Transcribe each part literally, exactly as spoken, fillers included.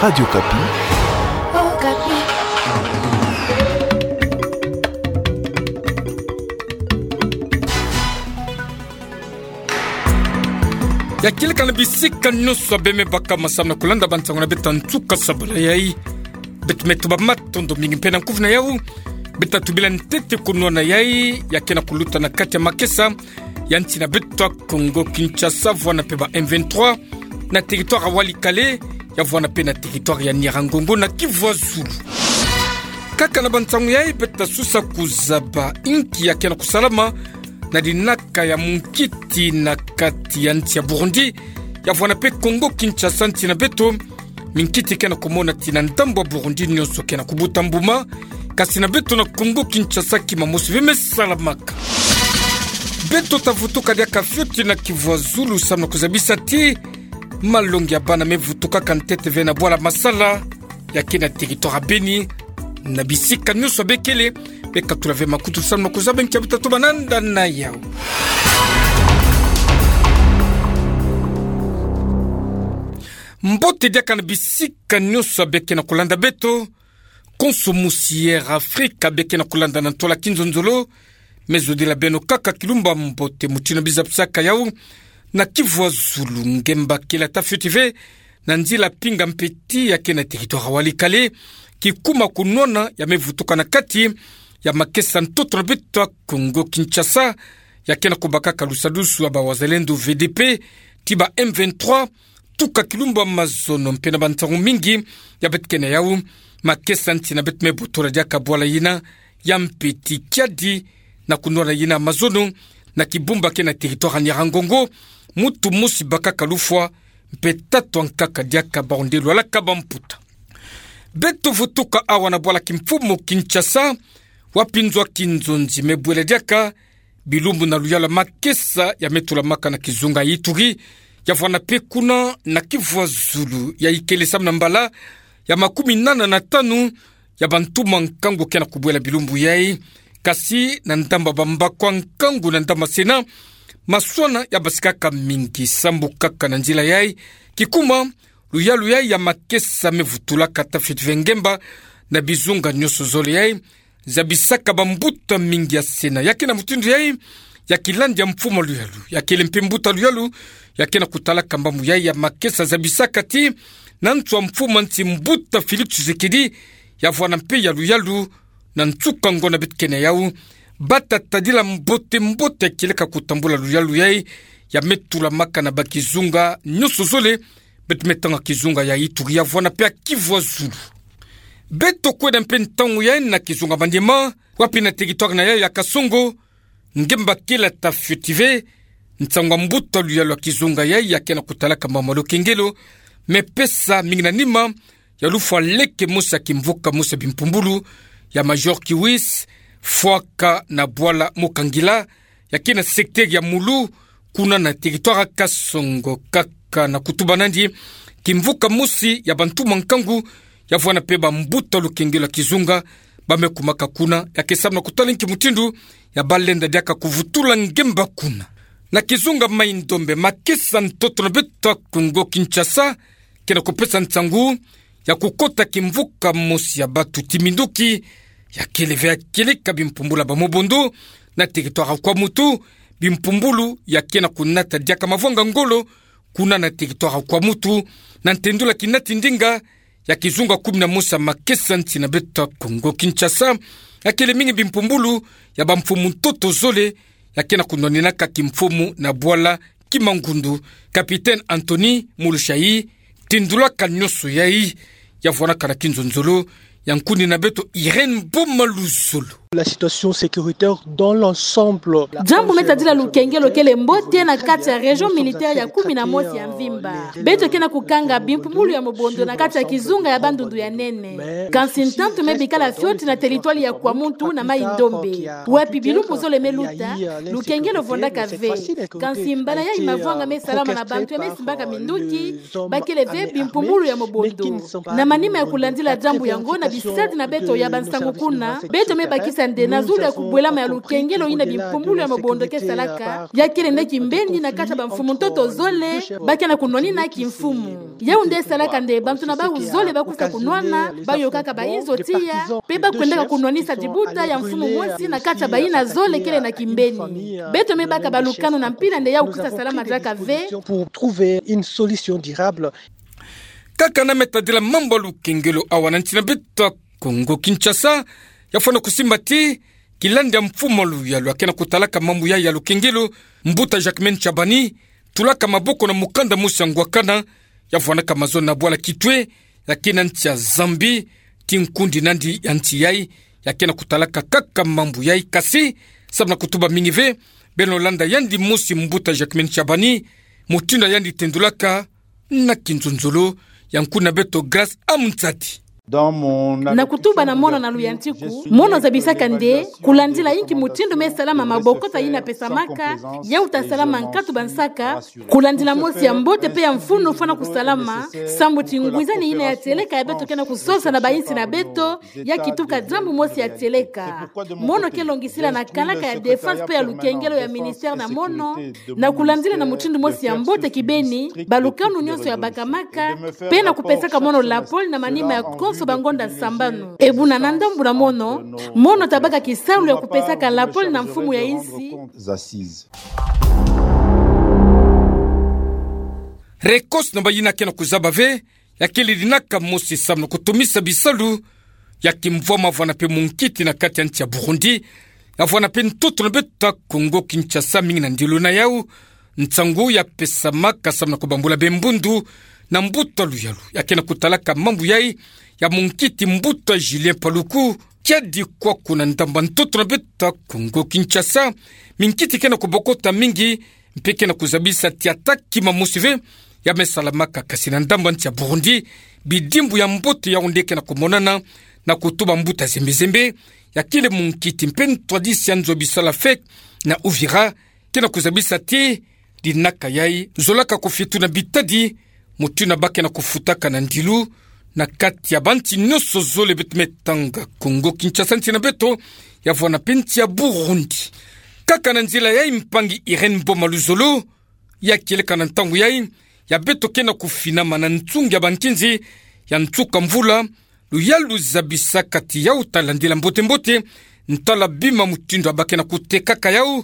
Radio Okapi. Ya kieleka na bisika nyonso beme baka masamu na kulanda bansango na beto ya nsuka sabala yai. Beto me tuba matondo mingi mpe na nkufi na yau. Beto tubila ntete kunwana yai ya kena kuluta na kati ya makesa ya nsi na beto ya Kongo Kinshasa, vwanda mpe ba M vingt-trois na territoire ya Walikale, ya vwanda mpe na territoire ya Nyiragongo na Kivu ya Zulu. Kaka na bansango yai beto ta susa kuzaba inki ya kena kusalama na dinaka ya munkiti na kati ya nsi ya Burundi, ya vwanda mpe Kongo Kinshasa nsi na beto. Minkiti kena kumona ti na ndambu ya Burundi nyonso kena kubuta mbuma, kasi na beto na Kongo Kinshasa kima mosi ve me salamaka. Beto ta vutuka diaka fioti na Kivu ya Zulu samu na kuzabisa ti malongi ya bana me vutukaka ntete ve na bwala Masala, ya ke na territoire ya Beni, na bisika nyonso be kele, be katula ve makutu samu na kuzaba nkia beto ta tuba nanda na yau. Mbote diaka na bisika nyonso be kena kulanda beto. Konso mosi Air Afrique be kena kulanda na ntola kinzonzolo, me zodila beno kaka kilumbu ya mbote mutindu biza bisaka yau. Na Kivu ya Zulu, ngemba kela ta fioti ve na nzila pinga mpeti ya ke na territoire ya Walikale, kikuma kunwana ya me vutuka na kati ya makesa ntoto na beto ya Kongo Kinshasa, ya kena kubakaka lusadusu ya ba Wazalendo V D P ti ba M vingt-trois, tuka kilumbu ya mazono mpe na bansango mingi ya beto ke na yau. Makesa nsi na beto me botola diaka bwala yina ya mpeti kiadi na kunwana yina mazono na kibumba ke na territoire ya Nyiragongo. Mutu mosi bakaka lufwa, mpe tatu ankaka diaka bawu nde lwalaka bamputa. Beto vutuka awa na bwala kimfumu Kinshasa, wapi nzo ya kinzonzi me bwela diaka bilumbu na luyalu ya makesa ya me tulamaka na kizunga ya Ituri, ya vwanda mpe kuna na Kivu ya Zulu, ya ikele samu na mbala ya makumi nana na tanu ya bantu mwa nkangu kena kubwela bilumbu yai. Kasi na ndambu ya bambaku ya nkangu na ndambu ya sena, maswana ya basikaka mingi sambu kaka na nzila yai. Kikuma, luyalu yai ya makesa me vutulaka ta fioti ve ngemba na bizunga nyonso zole yai, zabisaka bambuta mingi ya sena. Ya ke na mutindu yai ya kilandi ya mfumu ya luyalu, ya kele mpe mbuta ya luyalu, ya kena kutalaka mbambu yai ya makesa zabisaka ti na nsu ya mfumu ya nsi mbuta Félix Tshisekedi, ya vwanda mpe ya luyalu na nsuka ngonda beto ke na yau, bata tadila mbote mbote ya kieleka kutambula luyalu yai ya me tulamaka na bakizunga nyonso zole. Beto me tanga kizunga ya Ituri, ya vwanda mpe ya Kivu ya Zulu. Beto kwenda mpe ntangu yai na kizunga Maniema, wapi na territoire na yai ya Kasongo, ngemba kela ta fioti ve nsangu ya mbuta ya luyalu ya kizunga yai ya kena kutalaka mbambu ya lukengelo me pesa mingi na nima ya lufwa leke mosi ya kimvuka mosi ya bimpumbulu ya Major Kiwis, fwaka na bwala Mokangila, ya ke na secteur ya Mulu, kuna na territoire ya Kasongo. Kaka na kutuba nandi, kimvuka mosi ya bantu mwa nkangu, ya vwanda mpe bambuta ya lukengelo ya kizunga, ba me kumaka kuna, ya ke samu na kutala nki mutindu ya ba lenda diaka kuvutula ngemba kuna. Na kizunga Mai-Ndombe, makesa ntoto na beto ya Kongo Kinshasa kena kupesa nsangu ya kukota kimvuka mosi ya batu ti minduki, ya kele ve ya kieleka bimpumbulu ya ba Mobondo na territoire ya Kwamouth, bimpumbulu ya kena kunata diaka mavwanga ngolo kuna na territoire ya Kwamouth, na ntendula kinati ndinga ya kizunga kumi na mosi ya makesa nsi na beto ya Kongo Kinshasa, ya kele mingi bimpumbulu ya bamfumu ntoto zole, ya kena kunwaninaka kimfumu na bwala Kimangundu. Capitaine Anthony Mulushai tendulaka nyonso yai, ya vwanaka na kinzonzolo ya nkuni na beto Irène Boma Luzolo. La situation sécuritaire dans l'ensemble. Jambu me tadila lukengelo kele mbote na kati ya région militaire ya kumi na mosi ya mvimba. Beto kena kukanga bimpumbulu ya Mobondo na kati ya kizunga ya Bandundu ya nene. Kansi ntantu me bikala fioti na territoire ya Kwamouth na Mai-Ndombe, wapi bilumbu zole me luta, lukengelo vwandaka ve. Kansi mbala yai mavwanga me salama na bantu ya me simbaka minduki, ba kele ve bimpumbulu ya Mobondo. Na manima ya kulandila jambu yango na Bisadi na beto ya bansangu kuna, beto me bakisa nde na zulu ya kubwelama ya lukengelo yina bimpumbulu ya mobondo ke salaka, ya kele nde kimbeni na kati ya bamfumu ntoto zole, ba ke na kunwanina kimfumu. Yau nde salaka nde bantu na bau zole ba kufa kunwana, ba yokaka bainzo tiya, pe ba kwendaka kunwanisa dibuta ya mfumu mosi na kati ya bayina zole kele na kimbeni. Beto me baka balukanu na mpila nde yau kwiza salama diaka ve. Pour trouver une solution durable. Kaka na me tadila mambu ya lukengelo awa na nsi na beto ya Kongo Kinshasa, ya fwana kusimba ti, kilandi ya mfumu ya luyalu ya ke na kutalaka mambu ya, ya lukengelo, mbuta Jacquemain Tshabani, tulaka maboko na mukanda mosi ya ngwakana, ya fwanaka mazono na bwala Kitwe, ya ke na nsi ya Zambie, ti nkundi nandi ya nsi yai, ya ke na kutalaka kaka mambu yai kasi, samu na kutuba mingi ve, beno landa yandi mosi mbuta Jacquemain Tshabani, mutindu yandi tendulaka, na kinzonzolo, ya nkuna beto Grace Amzati. Na kutuba na mono na luyantiku, mono zabisaka nde, kulandila inki mutindu me salama mabokota yina pesamaka, yau ta salama nkatu ba nsaka, kulandila mosi ya mbote pe ya mfunu fwana kusalama, samu ti ngwizani yina ya tieleka ya beto ke na kusosa na bainsi na beto, ya kituka diambu mosi ya tieleka. Mono ke longisila na kalaka ya défense pe ya lukengelo ya ministère na mono, na kulandila na mutindu mosi ya mbote kibeni, balukanu nyonso ya bakamaka, pe na kupesaka mono lapole na manima ya konso bangonda sambanu. Ebuna na ndambu na mono, mono ta baka kisalu ya kupesaka lapole na mfumu ya insi. Rekosi na bayina ke na kuzaba ve, ya kele dinaka mosi samu na kutumisa bisalu ya kimvwama vwana pe munkiti na kati ya nsi ya Burundi, ya vwana pe ntoto na beto ya Kongo Kinshasa mingi na ndilo na yau, nsangu ya pesamaka samu na kubambula bembundu na mbuta luyalu ya ke na kutalaka mambu yai, ya munkiti mbuta Julien Paluku, kiadi kwaku na ndambu ya ntoto na beto ya Kongo Kinshasa, minkiti ke na kubokota mingi, mpe ke na kuzabisa ti ata kima mosi ve ya me salamaka, kasi na ndambu ya nsi ya Burundi, bidimbu ya mbote yau nde ke na kumonana, na kutuba mbuta Zembe Zembe, ya kele munkiti mpe ntwadisi ya nzo bisala FEC na Uvira, ke na kuzabisa ti dinaka yai zolaka kufituna bitadi, mutindu ba ke na kufutaka na ndilu, na kati ya bansi nyonso zole beto me tanga, Kongo Kinshasa nsi na beto, ya vwana pe nsi ya Burundi. Kaka na nzila yai mpangi Irène Mboma Luzolo, ya kieleka na ntangu yai, ya beto ke na kufinama na nsungi ya bankinzi ya nsuka mvula, luyalu zabisaka ti yau ta landila mbote mbote ntwala bima mutindu ba ke na kutekaka yau,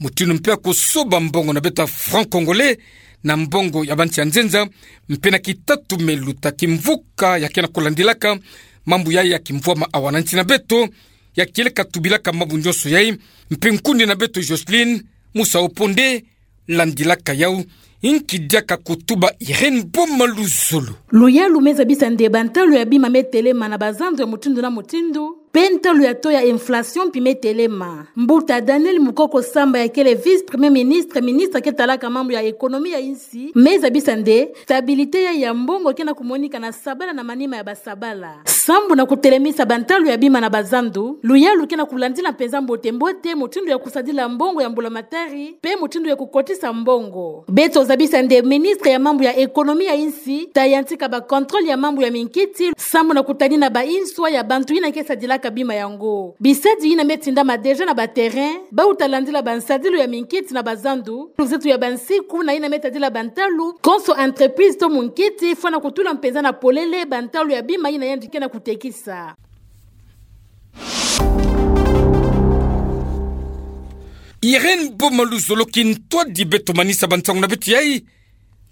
mutindu mpe ya kusoba mbongo na beto ya franc congolais na mbongo ya bansi ya nzenza, mpe na kitatumelu ta kimvuka ya ke na kulandilaka mambu yai ya kimvwama awa na nsi na beto, ya kieleka tubilaka mambu nyonso yai, mpe nkundi na beto Jocelyne Musa Oponde, landilaka yau, inki diaka kutuba Irène Mboma Luzolo. Luyalu me zabisa nde bantalu ya bima me telema na bazandu ya mutindu na mutindu, pe ntalu ya taux ya inflation mpi me telema. Mbuta Daniel Mukoko Samba ya kele vice-premier ministre, ministre ke talaka mambu ya économie ya insi, me zabisa nde stabilité ya, ya mbongo ke na kumonika na sabala na manima ya basabala. Sambu na kutelemisa bantalu ya bima na bazandu, luyalu ke na kulandila mpenza mbote mbote mutindu ya kusadila mbongo ya mbulamatari, pe mutindu ya kukotisa mbongo. Beto zabisa nde ministre ya mambu ya économie ya insi ta yantika ba contrôle ya mambu ya minkiti, sambu na kutadina ba inswa ya bantu yina ke sadilaka bima yango. Bisadi yina me tindama déjà na ba terrain, bau ta landila bansadilu ya minkiti na bazandu, luzetu ya bansiku na yina me tadila bantalu, konso entreprise to munkiti fwana kutula mpenza na polele bantalu ya bima yina yandi ke na kutekisa. Irène Mboma Luzolo, kintwadi beto manisa bansangu na beto yai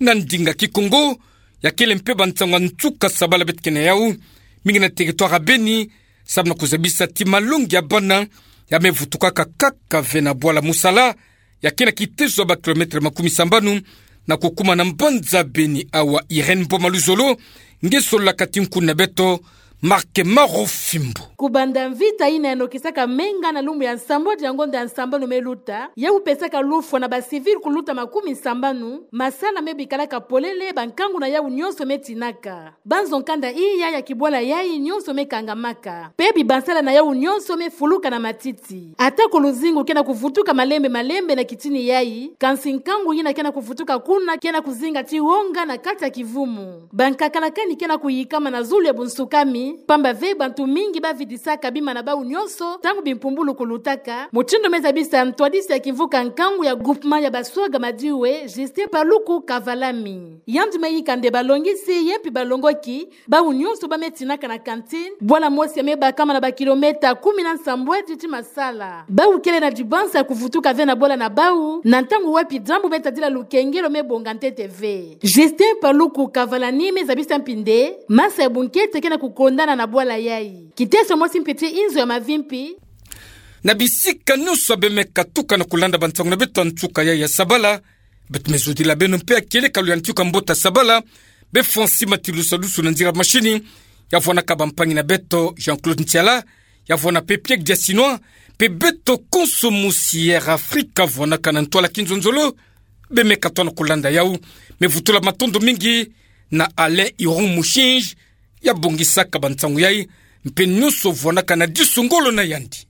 na ndinga Kikongo, ya kele mpe bansangu ya nsuka sabala beto ke na yau, mingi na territoire ya Beni, sambu na kuzabisa ti malongi ya bana ya me vutukaka kaka ve na bwala Musala, ya ke na kiteso ya ba kilomètre makumi sambanu na kukuma na mbanza Beni. Awa Irène Mboma Luzolo nge sololaka ti nkundi na beto Marc Marofimbo. Kubanda mvita yina ya nokisaka menga na lumbu ya nsambwadi ya ngonda ya nsambanu me luta, ya kupesaka lufwa na ba civil kuluta makumi sambanu, masala me bikalaka polele, bankangu na yau nyonso me tinaka. Banzo nkanda iya ya kibwala yai nyonso me kangamaka. Pe bibansala na yau nyonso me fuluka na matiti. Atako luzingu ke na kuvutuka malembe malembe na kitini yai, kansi nkangu yina ke na kuvutuka kuna ke na kuzinga ti wonga na kati ya kivumu. Bankakala kani ke na kuyikama na zulu ya bunsukami, Pamba ve bantu mingi bavidisaka bima na bawu nyonso ntangu bimpumbulu kulutaka. Mutindu mezabisa ntwadisi ya kimvuka nkangu ya groupement ya Baswaga Madiwe, Justin Paluku Kavalami. Yandi meyika nde balongisi ye mpi balongoki bawu nyonso bametinaka na cantine, bwala mosi ya mebakama na bakilometa kumi na nsambwadi ti Masala. Bawu kele na dibansa ya kuvutuka ve na bwala na bawu, na ntangu wapi diambu metadila lukengelo mebonga ntete ve. Justin Paluku Kavalami mezabisa mpi nde masa ya bunkete ke na kukondana na bwala yai. Kiteso mosi mpi ti inzo ya mavimpi. Na bisika nyonso bemeka tuka na kulanda bansangu na beto ya nsuka yai ya sabala, beto mezodila beno mpe ya kieleka luyantika mbote ya sabala, befo nsima ti lusadusu na nzila mashini, ya vwanaka bampangi na beto Jean-Claude Ntiala, ya vwana mpe Pierre Diasinois, mpe beto konso mosi ya Air Afrique ya vwanaka na ntwala kinzonzolo, bemeka twa na kulanda yawu. Mevutula matondo mingi na Alain Iron Mushinji, ya bongisaka bansangu yai, mpe nyonso vwanaka na disu ngolo na yandi.